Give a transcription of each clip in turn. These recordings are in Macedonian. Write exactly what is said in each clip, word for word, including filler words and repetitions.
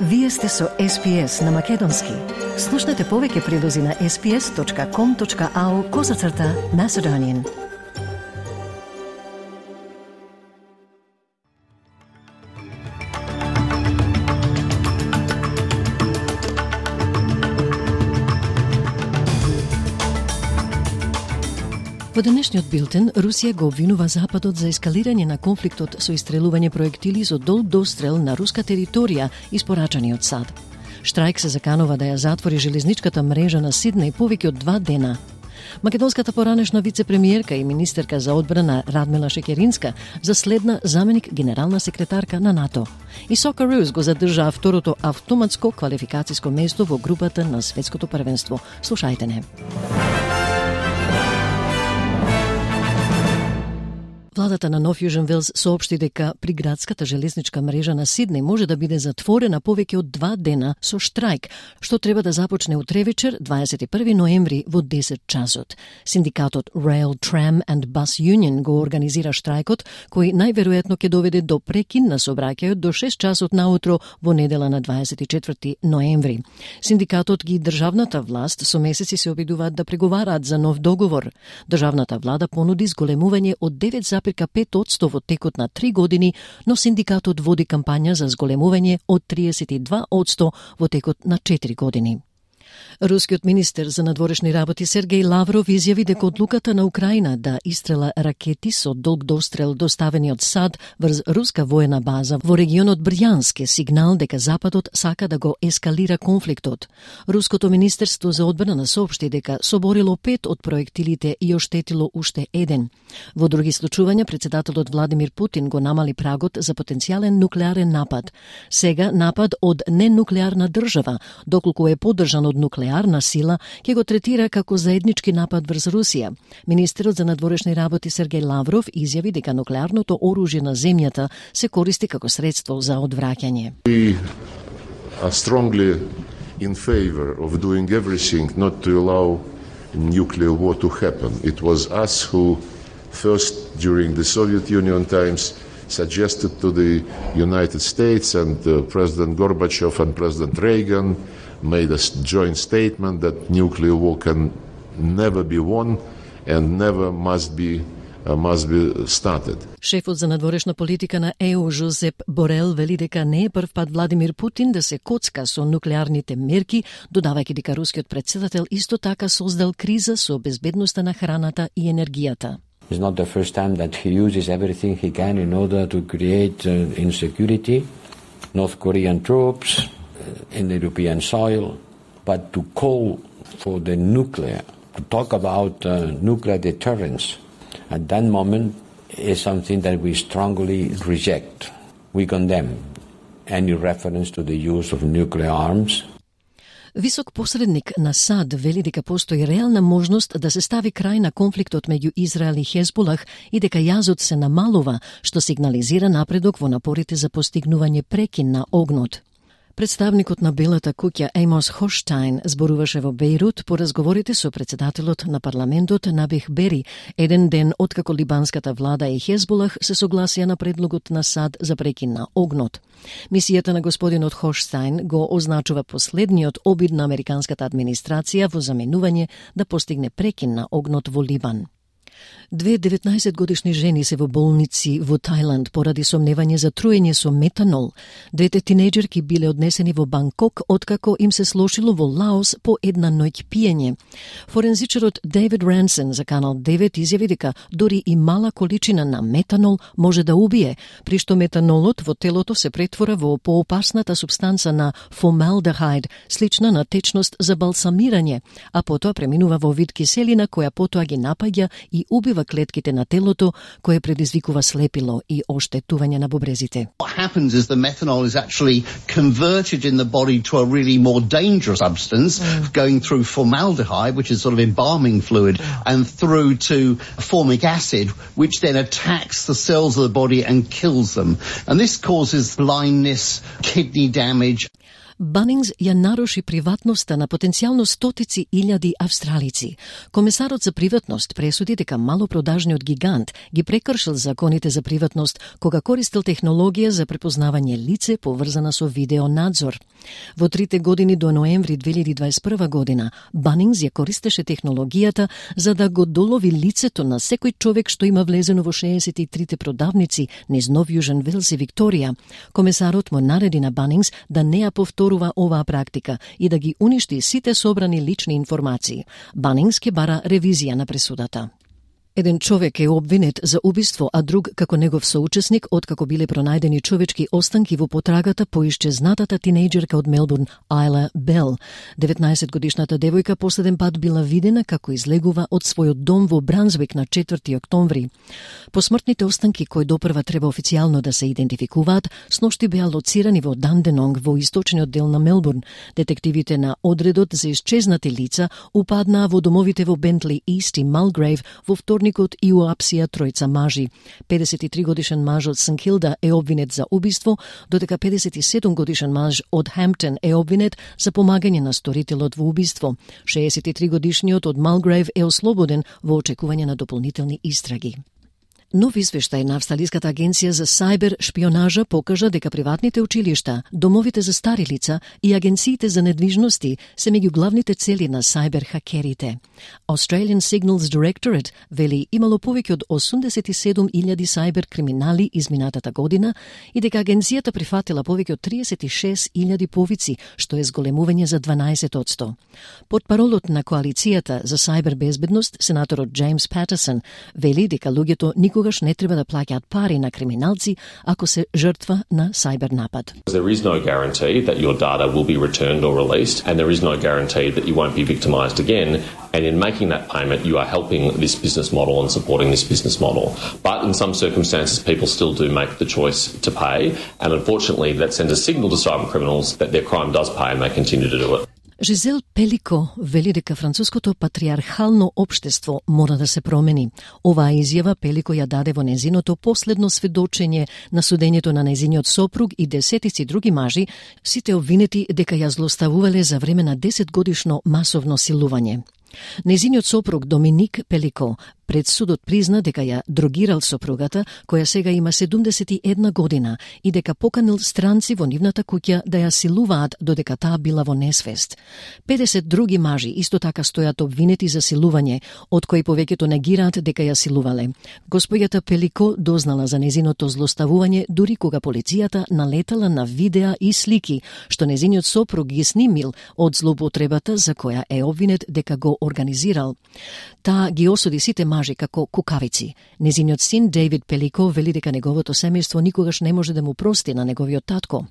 Вие сте со Ес Би Ес на Македонски. Слушнете повеќе прилози на ес би ес точка ком точка ау козацрта Macedonian. Во денешниот билтен, Русија го обвинува Западот за ескалирање на конфликтот со истрелување проектили со долг дострел на руска територија испорачани од САД. Штрајк се заканува да ја затвори железничката мрежа на Сиднеј повеќе од два дена. Македонската поранешна вице-премиерка и министерка за одбрана Радмила Шекеринска заследна заменик генерална секретарка на НАТО. И Socceroos го задржаа второто автоматско квалификацијско место во групата на светското првенство. Слушајте не. Владата на Нов Јужен Велс соопшти дека приградската железничка мрежа на Сиднеј може да биде затворена повеќе од два дена со штрајк, што треба да започне утре вечер, дваесет и први ноември во десет часот. Синдикатот Rail, Tram and Bus Union го организира штрајкот, кој најверојатно ќе доведе до прекин на сообраќајот до шест часот наутро во недела на дваесет и четврти ноември. Синдикатот ги државната власт со месеци се обидуваат да преговараат за нов договор. Државната влада понуди зголемување од девет зарез пет одсто во текот на три години, но синдикатот води кампања за зголемување од триесет и два одсто во текот на четири години. Рускиот министер за надворешни работи Сергеј Лавров изјави дека одлуката на Украина да истрела ракети со долг дострел доставени од САД врз руска воена база во регионот Брјанск е сигнал дека Западот сака да го ескалира конфликтот. Руското министерство за одбрана соопшти дека соборило пет од проектилите и оштетило уште еден. Во други случувања председателот Владимир Путин го намали прагот за потенцијален нуклеарен напад. Сега напад од ненуклеарна држава, доколку е поддржан од нуклеарна сила, ќе го третира како заеднички напад врз Русија. Министерот за надворешни работи Сергеј Лавров изјави дека нуклеарното оружје на земјата се користи како средство за одвраќање. We are strongly in favor of doing everything not to allow nuclear war to happen. It was us who first during the Soviet Union times suggested to the United States, and uh, President Gorbachev and President Reagan made a joint statement that nuclear war can never be won and never must be uh, must be started. Шефот за надворешна политика на Е У Жозеп Борел вели дека не е прв пат Владимир Путин да се коцка со нуклеарните мерки, додавајќи дека рускиот председател исто така создал криза со безбедноста на храната и енергијата. It's not the first time that he uses everything he can in order to create uh, insecurity. North Korean troops uh, in the European soil, but to call for the nuclear, to talk about uh, nuclear deterrence at that moment is something that we strongly reject. We condemn any reference to the use of nuclear arms. Висок посредник на САД вели дека постои реална можност да се стави крај на конфликтот меѓу Израел и Хезбулах и дека јазот се намалува, што сигнализира напредок во напорите за постигнување прекин на огнот. Представникот на Белата куќа Еймос Хоштайн зборуваше во Бејрут по разговорите со председателот на парламентот Набих Бери, еден ден откако либанската влада и Хезбулах се согласија на предлогот на САД за прекин на огнот. Мисијата на господинот Хоштайн го означува последниот обид на американската администрација во заменување да постигне прекин на огнот во Либан. Две деветнаесетгодишни жени се во болници во Тајланд поради сомневање за труење со метанол. Двете тинејџерки биле однесени во Банкок откако им се слошило во Лаос по една ноќ пиење. Форензичарот Дейвид Рансен за Канал девет изјави дека дори и мала количина на метанол може да убие, при што метанолот во телото се претвора во поопасната супстанца на фомалдехид, слична на течност за балсамирање, а потоа преминува во вид киселина која потоа ги напаѓа и убива клетките на телото, кое предизвикува слепило и оштетување на бубрезите. What happens is the methanol is actually converted in the body to a really more dangerous substance, mm. going through formaldehyde, which is sort of embalming fluid, and through to formic acid, which then attacks the cells of the body and kills them. And this causes blindness, kidney damage. Банингс ја наруши приватноста на потенцијално стотици илјади австралици. Комесарот за приватност пресуди дека малопродажниот гигант ги прекршил законите за приватност кога користил технологија за препознавање лице поврзана со видеонадзор. Во трите години до ноември две илјади дваесет и прва година, Банингс ја користеше технологијата за да го долови лицето на секој човек што има влезено во шеесет и трите продавници низ Нов Јужен Велс и Викторија. Комесарот му нареди на Банингс да не ја повторува оваа практика и да ги уништи сите собрани лични информации. Банингс ке бара ревизија на пресудата. Еден човек е обвинет за убиство, а друг како негов соучесник откако биле пронајдени човечки останки во потрагата по исчезнатата тинејџерка од Мелбурн, Айла Бел. деветнаесетгодишната девојка последен пат била видена како излегува од својот дом во Брансвик на четврти октомври. Посмртните останки кои допрва треба официјално да се идентификуваат, сношти беа лоцирани во Данденонг во источниот дел на Мелбурн. Детективите на одредот за исчезнати лица упаднаа во домовите во Бентли Ист и Малгрейв во вторник и уапсија тројца мажи. педесет и три годишен маж од Сент Килда е обвинет за убиство, додека педесет и седум годишен маж од Хемптон е обвинет за помагање на сторителот во убиство. шеесет и три годишниот од Малгрейв е ослободен во очекување на дополнителни истраги. Нов извештај на Австралиската агенција за сајбер шпионажа покажа дека приватните училишта, домовите за стари лица и агенциите за недвижности се меѓу главните цели на сајбер хакерите. Australian Signals Directorate вели имало повеќе од осумдесет и седум илјади сајбер криминали изминатата година и дека агенцијата прифатила повеќе од триесет и шест илјади повици, што е зголемување за дванаесет одсто. Потпаролот на коалицијата за сајбер безбедност, сенаторот Джеймс Патерсон, вели дека луѓето никогаш не треба да плаќаат пари на криминалци ако се жртва на сајбер напад. There is no guarantee that your data will be returned or released, and there is no guarantee that you won't be victimised again. And in making that payment, you are helping this business model and supporting this business model. But in some circumstances, people still do make the choice to pay, and unfortunately, that sends a signal to cyber criminals that their crime does pay and they continue to do it. Жизел Пелико вели дека француското патриархално општество мора да се промени. Оваа изјава Пелико ја даде во незиното последно сведочење на судењето на незиниот сопруг и десетици други мажи, сите обвинети дека ја злоставувале за време на десетгодишно масовно силување. Незиниот сопруг Доминик Пелико пред судот призна дека ја дрогирал сопругата, која сега има седумдесет и една година, и дека поканил странци во нивната куќа да ја силуваат додека таа била во несвест. педесет други мажи исто така стојат обвинети за силување, од кои повеќето негираат дека ја силувале. Господјата Пелико дознала за незиното злоставување дури кога полицијата налетала на видеа и слики, што незиниот сопруг ги снимил од злоупотребата за која е обвинет дека го организирал. Таа ги осуди сите мажи како кукавици. Незиниот син Дейвид Пелико вели дека неговото семејство никогаш не може да му прости на неговиот татко.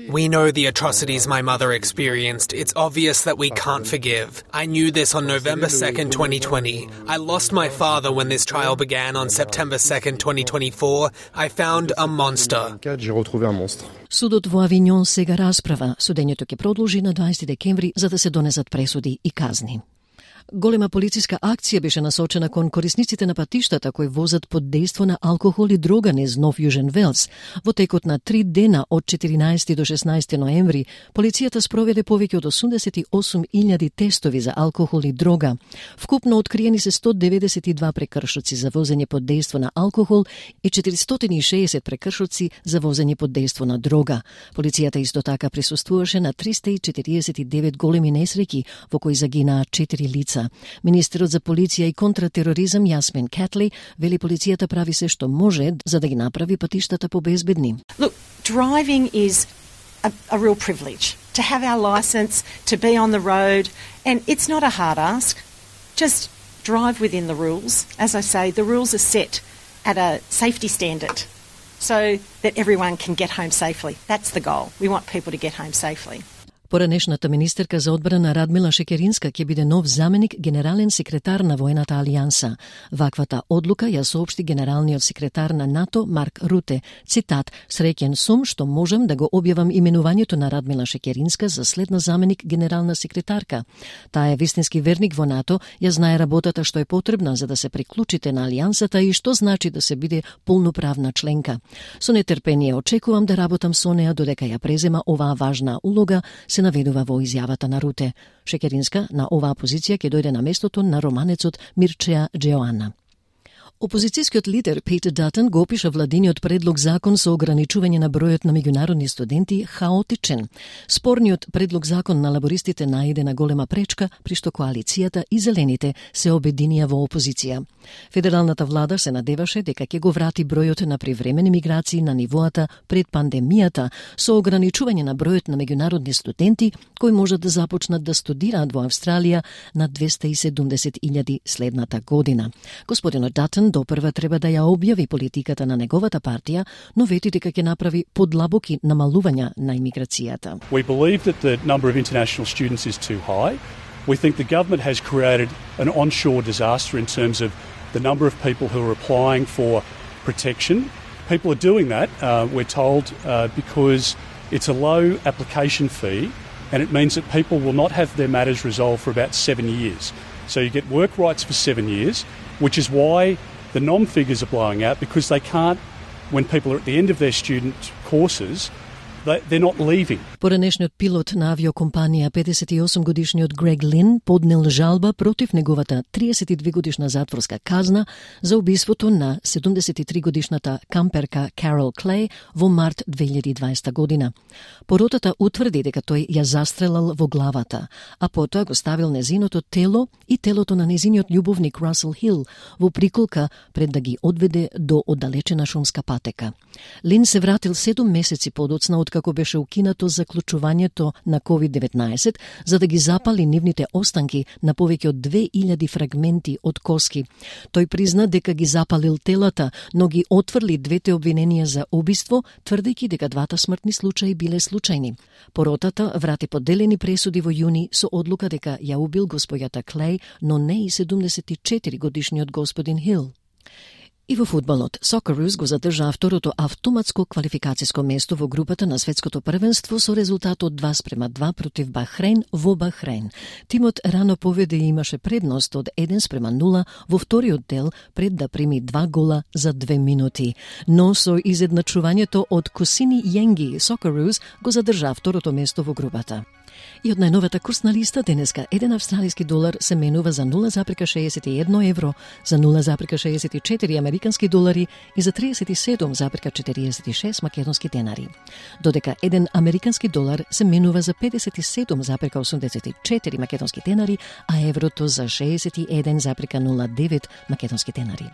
We know the atrocities my mother experienced. It's obvious that we can't forgive. I knew this on November second, twenty twenty. I lost my father when this trial began on September second, twenty twenty-four. I found a monster. Судот во Авињон сега расправа. Судењето ќе продолжи на дваесети декември за да се донесат пресуди и казни. Голема полициска акција беше насочена кон корисниците на патиштата кои возат под дејство на алкохол и дрога низ Нов Јужен Велс. Во текот на три дена од четиринаесети до шеснаесети ноември, полицијата спроведе повеќе од осумдесет и осум илјади тестови за алкохол и дрога. Вкупно откриени се сто деветдесет и два прекршоци за возење под дејство на алкохол и четиристотини и шеесет прекршоци за возење под дејство на дрога. Полицијата исто така присуствуваше на триста и четириесет и девет големи несреќи во кои загинаа четири лица. Министерот за полиција и контратероризам Јасмин Катли вели полицијата прави се што може за да ги направи патиштата побезбедни. Look, driving is a, a real privilege. To have our license, to be on the road, and it's not a hard ask. Just drive within the rules. As I say, the rules are set at a safety standard so that everyone can get home safely. That's the goal. We want people to get home safely. Поранешната министерка за одбрана Радмила Шекеринска ќе биде нов заменик генерален секретар на Воената алијанса. Ваквата одлука ја соопшти генералниот секретар на НАТО Марк Руте. Цитат: "Среќен сум што можам да го објавам именувањето на Радмила Шекеринска за следна заменик генерална секретарка. Таа е вистински верник во НАТО, ја знае работата што е потребна за да се приклучите на алијансата и што значи да се биде полноправна членка. Со нетрпение очекувам да работам со неа додека ја презема оваа важна улога", се наведува во изјавата на Руте. Шекеринска на оваа позиција ќе дојде на местото на романецот Мирчеа Джеоана. Опозицијскиот лидер Питер Датон го опиша владиниот предлог закон со ограничување на бројот на меѓународни студенти хаотичен. Спорниот предлог закон на лабористите најде на голема пречка, при што коалицијата и зелените се обединија во опозиција. Федералната влада се надеваше дека ќе го врати бројот на привремени миграции на нивоата пред пандемијата со ограничување на бројот на меѓународни студенти кои можат да започнат да студираат во Австралија на двеста и седумдесет илјади следната година. Господинот Датон допрва треба да ја објави политиката на неговата партија, но вети дека ќе направи подлабоки намалувања на имиграцијата. We believe that the number of international students is too high. We think the government has created an onshore disaster in terms of the number of people who are applying for protection. People are doing that, uh, we're told, uh, because it's a low application fee and it means that people will not have their matters resolved for about seven years. So you get work rights for seven years, which is why the nom figures are blowing out, because they can't, when people are at the end of their student courses, they, they're not leaving. Поранешниот пилот на авиокомпанија педесет и осум годишниот Грег Лин поднел жалба против неговата триесет и две годишна затворска казна за убиството на седумдесет и три годишната камперка Карол Клей во март две илјади и дваесета година. Поротата утврди дека тој ја застрелал во главата, а потоа го ставил незиното тело и телото на незиниот љубовник Расел Хил во приколка пред да ги одведе до оддалечена шумска патека. Лин се вратил седум месеци подоцна откако беше укинато заклучувањето на ковид деветнаесет за да ги запали нивните останки на повеќе од две илјади фрагменти од коски. Тој призна дека ги запалил телата, но ги отфрли двете обвиненија за убиство, тврдејќи дека двата смртни случаи биле случајни. Поротата врати поделени пресуди во јуни со одлука дека ја убил господјата Клей, но не и седумдесет и четири годишниот господин Хил. И во фудбалот, Socceroos го задржаа второто автоматско квалификацијско место во групата на светското првенство со резултат од два спрема два против Бахрейн во Бахрейн. Тимот рано поведе и имаше предност од еден спрема нула во вториот дел пред да прими два гола за две минути. Но со изедначувањето од Косини Јенги, Socceroos го задржаа второто место во групата. И од најновата курсна листа денеска еден австралиски долар се менува за нула запирка шеесет и едно евро, за нула запирка шеесет и четири американски долари и за триесет и седум запирка четириесет и шест македонски денари. Додека еден американски долар се менува за педесет и седум запирка осумдесет и четири македонски денари, а еврото за шеесет и еден запирка нула девет македонски денари.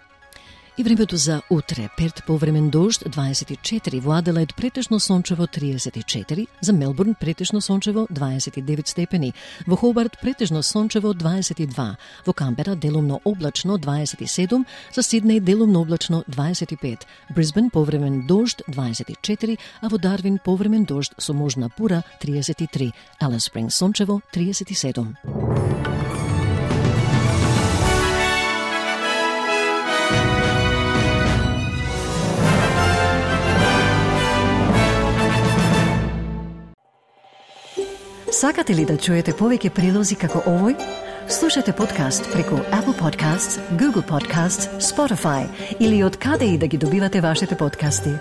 И времето за утре: Перт повремен дожд дваесет и четири, во Аделаид претежно сончево триесет и четири, за Мелбурн претежно сончево дваесет и девет степени, во Хобарт претежно сончево дваесет и два, во Камбера делумно облачно дваесет и седум, за Сиднеј делумно облачно дваесет и пет, Брисбен повремен дожд дваесет и четири, а во Дарвин повремен дожд со можна бура триесет и три, Алис Спрингс сончево триесет и седум. Сакате ли да чуете повеќе прилози како овој? Слушате подкаст преку Apple Podcasts, Google Podcasts, Spotify или од каде и да ги добивате вашите подкасти.